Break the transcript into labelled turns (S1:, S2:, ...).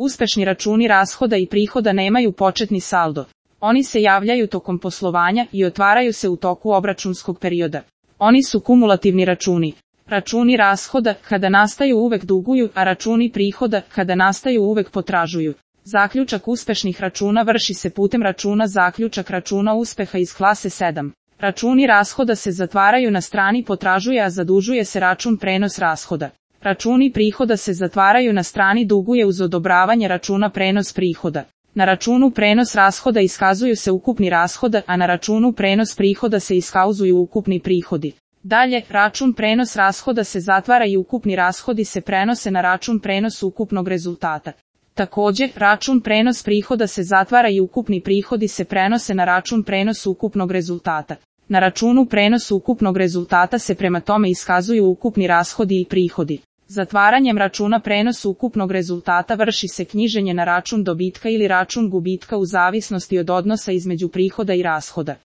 S1: Uspešni računi rashoda i prihoda nemaju početni saldo. Oni se javljaju tokom poslovanja i otvaraju se u toku obračunskog perioda. Oni su kumulativni računi. Računi rashoda, kada nastaju uvek duguju, a računi prihoda, kada nastaju uvek potražuju. Zaključak uspešnih računa vrši se putem računa zaključak računa uspeha iz klase 7. Računi rashoda se zatvaraju na strani potražuje, a zadužuje se račun prenos rashoda. Računi prihoda se zatvaraju na strani duguje uz odobravanje računa prenos prihoda. Na računu prenos rashoda iskazuju se ukupni rashoda, a na računu prenos prihoda se iskazuju ukupni prihodi. Dalje, račun prenos rashoda se zatvara i ukupni rashodi se prenose na račun prenos ukupnog rezultata. Takođe, račun prenos prihoda se zatvara i ukupni prihodi se prenose na račun prenos ukupnog rezultata. Na računu prenos ukupnog rezultata se prema tome iskazuju ukupni rashodi i prihodi. Zatvaranjem računa prenos ukupnog rezultata vrši se knjiženje na račun dobitka ili račun gubitka u zavisnosti od odnosa između prihoda i rashoda.